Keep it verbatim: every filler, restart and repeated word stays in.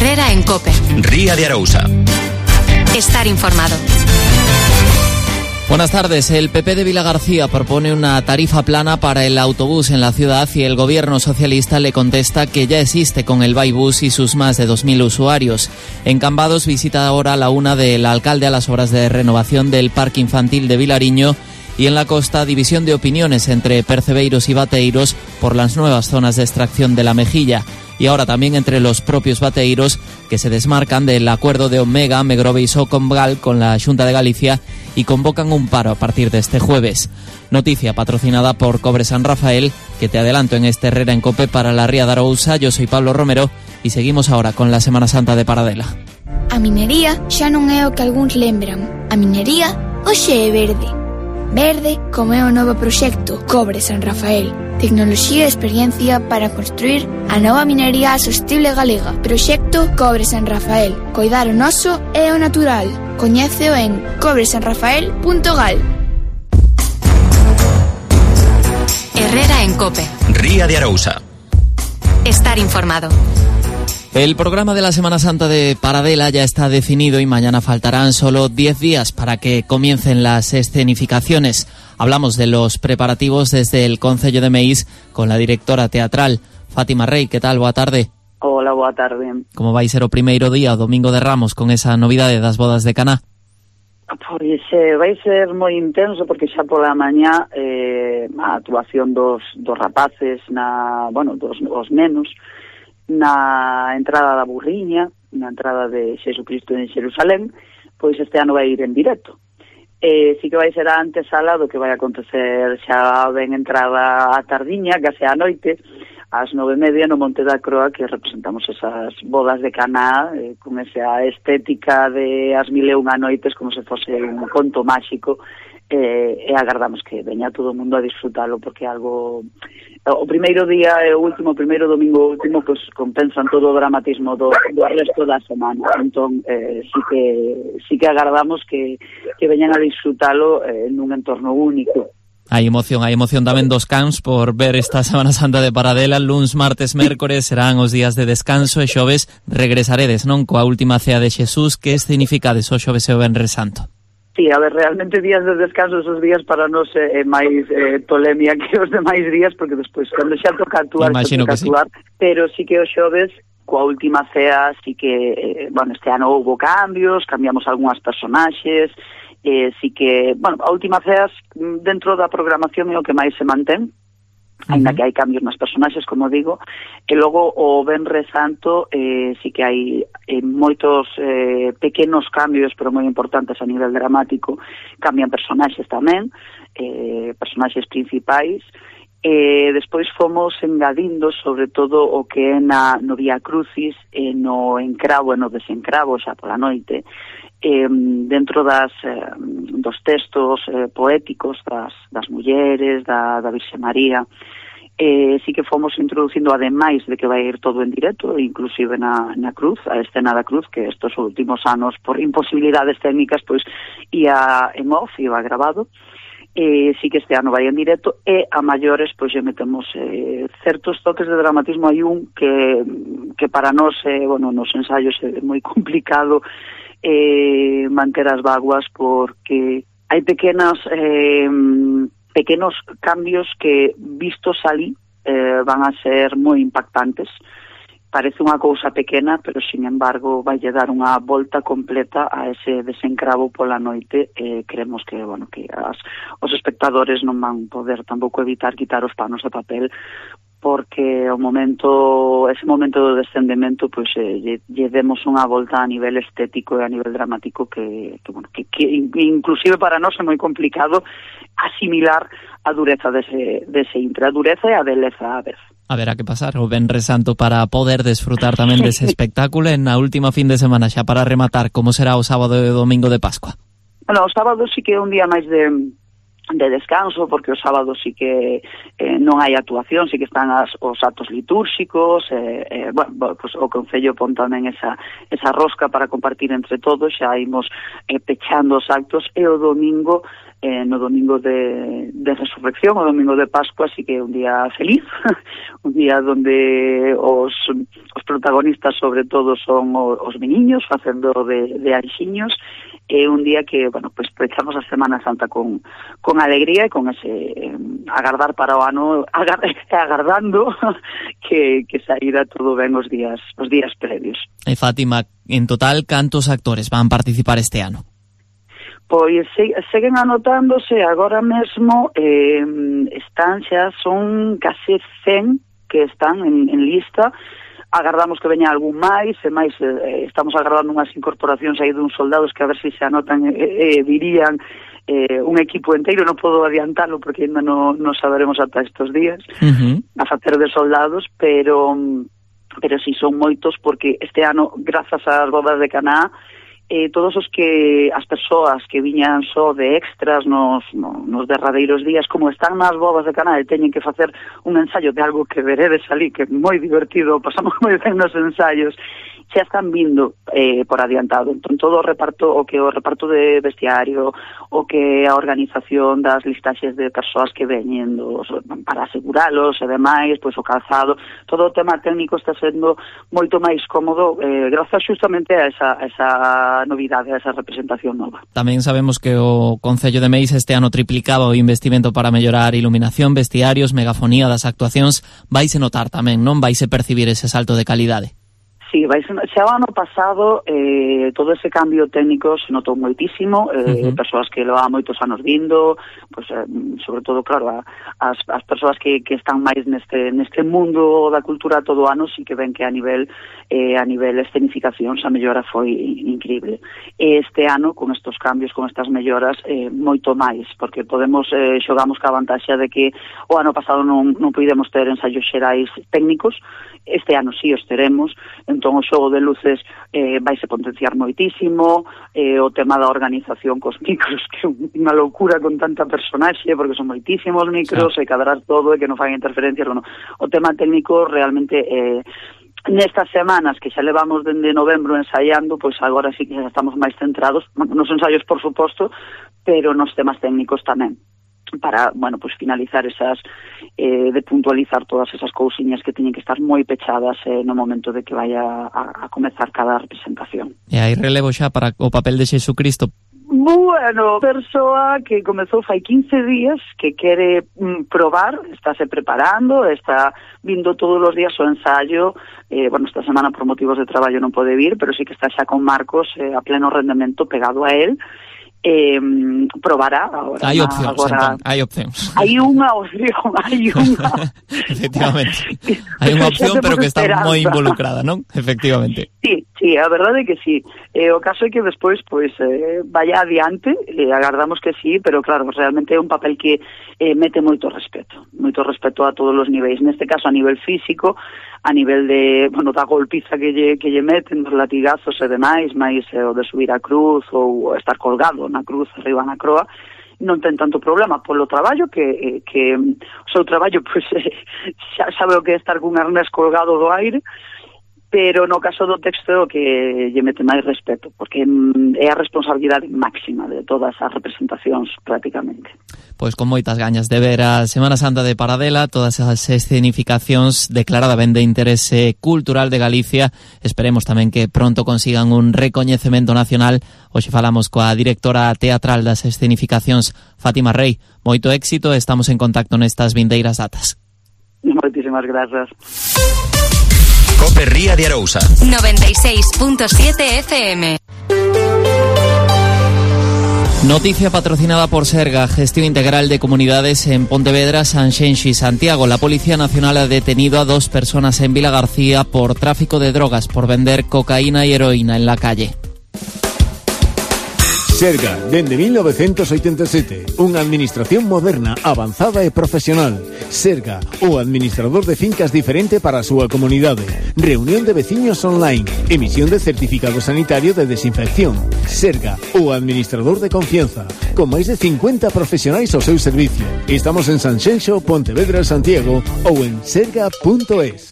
Herrera en COPE. Ría de Arousa. Estar informado. Buenas tardes. El P P de Vilagarcía propone una tarifa plana para el autobús en la ciudad y el gobierno socialista le contesta que ya existe con el Vaibús y sus más de dos mil usuarios. En Cambados visita ahora la una del alcalde a las obras de renovación del Parque Infantil de Vilariño y en la costa división de opiniones entre percebeiros y bateiros por las nuevas zonas de extracción de la mejilla. Y ahora también entre los propios bateiros que se desmarcan del acuerdo de Omega, Megrove y Socomgal con la Xunta de Galicia y convocan un paro a partir de este jueves. Noticia patrocinada por Cobre San Rafael, que te adelanto en este Herrera en COPE para la Ría de Arousa. Yo soy Pablo Romero y seguimos ahora con la Semana Santa de Paradela. A minería xa non é o que algúns lembran. A minería hoxe é verde. Verde como é o novo proxecto Cobre San Rafael. Tecnoloxía e experiencia para construir a nova minería sostible galega. Proxecto Cobre San Rafael. Coidar o noso e o natural. Coñéceo en cobre san rafael punto gal. Herrera en COPE. Ría de Arousa. Estar informado. El programa de la Semana Santa de Paradela ya está definido y mañana faltarán solo diez días para que comiencen las escenificaciones. Hablamos de los preparativos desde el Concello de Meis con la directora teatral, Fátima Rey. ¿Qué tal? Boa tarde. Hola, boa tarde. Como vai ser o primeiro día, o domingo de Ramos, con esa novidade das bodas de Caná? Pois eh, vai ser moi intenso porque xa pola mañá eh, a actuación dos, dos rapaces, na, bueno, dos os nenos, na entrada da burriña, na entrada de Xesucristo en Xerusalén, pois este ano vai ir en directo. Eh, sí que vai ser a antesala do que vai acontecer xa ben entrada a tardiña, case a noite, ás nove e media no Monte da Croa, que representamos esas bodas de Caná, eh, con esa estética de as mil e unha noites, como se fose un conto máxico, eh, e agardamos que veña todo o mundo a disfrutalo, porque algo... O primeiro día e o último, o primeiro domingo último, pues compensan todo o dramatismo do, do resto da semana. Entón, eh, sí que sí que agardamos que, que veñan a disfrutalo eh, nun entorno único. Hai emoción, hai emoción tamén dos cans por ver esta Semana Santa de Paradela. Luns, martes, mércores serán os días de descanso e xoves regresaredes, non? Coa última cea de Xesús. Que escenificades o xoves e o venres santo? Sí, a ver, realmente días de descanso esos días para nós é eh, máis eh, tolemia que os demais días, porque despois, cando xa toca actuar, xa toca actuar, sí. Pero sí que os xoves, coa última cea, sí que, eh, bueno, este ano houve cambios, cambiamos algunhas personaxes, eh, sí que, bueno, a última cea dentro da programación é o que máis se mantén, ainda que hai cambios nas personaxes, como digo, e logo o Venres Santo eh, sí que hai eh, moitos eh, pequenos cambios, pero moi importantes a nivel dramático. Cambian personaxes tamén, eh, personaxes principais, e despois fomos engadindo sobre todo o que é na, no Vía Crucis e no encravo e no desencravo xa pola noite, eh, dentro das eh, dos textos eh, poéticos das, das mulleres, da, da Virxe María. Eh, sí que fomos introducindo, ademais de que vai ir todo en directo, inclusive na, na cruz, a escena da cruz, que estes últimos anos, por imposibilidades técnicas, pois ia en off, iba grabado. Eh, sí que este ano vai en directo, e a maiores, pois, lle metemos eh, certos toques de dramatismo. Hai un que, que para nós, eh, bueno, nos ensaios é moi complicado eh, manter as vaguas, porque hai pequenas... Eh, pequenos cambios que, vistos ali, eh, van a ser moi impactantes. Parece unha cousa pequena, pero, sin embargo, vai lle dar unha volta completa a ese desencravo pola noite. Eh, creemos que, bueno, que as, os espectadores non van poder tampouco evitar quitar os panos de papel, porque o momento, ese momento do descendemento, pois eh, lle, lle demos unha volta a nivel estético e a nivel dramático que, que bueno, que, que inclusive para nós é moi complicado asimilar a dureza dese, dese intre, a dureza e a beleza a vez. A ver, a que pasar o Venres Santo para poder desfrutar tamén dese espectáculo en a última fin de semana, xa para rematar, como será o sábado e o domingo de Pascua? Bueno, o sábado sí que é un día máis de de descanso, porque o sábado sí que eh, non hai actuación, sí que están as, os actos litúrxicos, eh, eh, bueno, pues, o Concello pon tamén esa, esa rosca para compartir entre todos, xa imos eh, pechando os actos, e o domingo, eh, no domingo de, de Resurrección, o domingo de Pascua, sí que é un día feliz, un día donde os, os protagonistas sobre todo son os, os meniños facendo de, de anxiños, é un día que, bueno, pues pechamos a Semana Santa con, con alegría e con ese eh, agardar para o ano, agar, agardando que, que saíra todo ben os días os días previos. E Fátima, en total, cantos actores van participar este ano? Pois se, seguen anotándose agora mesmo, eh, están xa, son case cen que están en, en lista. Agardamos que veña algún máis, e máis eh, estamos agardando unhas incorporacións aí dun soldados que a ver se se anotan e eh, eh, dirían eh, un equipo inteiro, non podo adiantalo porque ainda non no saberemos ata estes días, uh-huh. a facer de soldados, pero pero si son moitos porque este ano, grazas ás bodas de Caná, eh, todos os que as persoas que viñan só de extras nos, no, nos derradeiros días, como están nas bodas de Caná e teñen que facer un ensaio de algo que veredes ali, que é moi divertido, pasamos moi ben nos ensaios, xa están vindo eh, por adiantado. Entón, todo o reparto, o que o reparto de vestiario, o que a organización das listaxes de persoas que veñen dos, para aseguralos e demais, pois o calzado, todo o tema técnico está sendo moito máis cómodo eh, grazas justamente a esa, a esa novidade, a esa representación nova. Tamén sabemos que o Concello de Meis este ano triplicaba o investimento para mellorar iluminación, vestiarios, megafonía das actuacións. Vaise notar tamén, non? Vaise percibir ese salto de calidade. Sí, vai ser, xa o ano pasado eh, todo ese cambio técnico se notou moitísimo, eh, uh-huh. persoas que leva moitos anos vindo, pues, eh, sobre todo, claro, a, as, as persoas que, que están máis neste, neste mundo da cultura todo o ano, sí que ven que a nivel eh, a nivel escenificacións a mellora foi increíble. E este ano, con estos cambios, con estas melloras, eh, moito máis, porque podemos, eh, xogamos ca vantaxe de que o ano pasado non, non podemos ter ensaios xerais técnicos, este ano sí os teremos, entón o xogo de luces eh, vaise potenciar moitísimo, eh, o tema da organización cos micros, que é unha loucura con tanta personaxe, porque son moitísimos micros, sí. E cadrar todo, e que non fan interferencias, bueno, o tema técnico realmente... Eh, nestas semanas que xa levamos dende novembro ensaiando, pois agora sí que xa estamos máis centrados, nos ensaios por suposto, pero nos temas técnicos tamén, para, bueno, pues finalizar esas, eh, de puntualizar todas esas cousiñas que teñen que estar moi pechadas eh, no momento de que vaya a, a comezar cada representación. E hai relevo xa para o papel de Xesucristo? Bueno, persoa que comezou fai quince días, que quere mm, probar, estáse preparando, está vindo todos os días o ensayo, eh, bueno, esta semana por motivos de traballo non pode vir, pero sí que está xa con Marcos eh, a pleno rendemento pegado a él, eh, probará agora. Hai opcións, agora, entón, hai opcións. Hai unha opción, hai unha. Efectivamente. Hai unha opción, pero que está moi involucrada, non? Efectivamente. Sí, sí, a verdade é que sí. Eh, o caso é que despois, pois, eh, vaya adiante, eh, agardamos que sí, pero claro, realmente é un papel que eh, mete moito respeto, moito respeto a todos os niveis. Neste caso, a nivel físico, a nivel de, bueno, da golpiza que lle, que lle meten, dos latigazos e demais, máis eh, o de subir a cruz ou estar colgado na cruz arriba na croa, non ten tanto problema polo traballo que, eh, que o seu traballo pois, eh, xa sabe o que é estar cun arnés colgado do aire, pero no caso do texto que lle mete máis respeto, porque é a responsabilidade máxima de todas as representacións prácticamente. Pois con moitas gañas de ver a Semana Santa de Paradela, todas as escenificacións declarada ben de interese cultural de Galicia. Esperemos tamén que pronto consigan un recoñecemento nacional. Hoxe falamos coa directora teatral das escenificacións, Fátima Rey. Moito éxito, estamos en contacto nestas vindeiras datas. Moitísimas grazas. Cope Ría de Arousa noventa y seis punto siete F M. Noticia patrocinada por Serga, Gestión Integral de Comunidades en Pontevedra, Sanxenxo y Santiago. La Policía Nacional ha detenido a dos personas en Vilagarcía por tráfico de drogas, por vender cocaína y heroína en la calle. Serga, dende mil novecientos oitenta e sete, unha administración moderna, avanzada e profesional. Serga, o administrador de fincas diferente para a súa comunidade. Reunión de veciños online, emisión de certificado sanitario de desinfección. Serga, o administrador de confianza, con máis de cincuenta profesionais ao seu servicio. Estamos en Sanxenxo, Pontevedra, Santiago ou en serga punto es.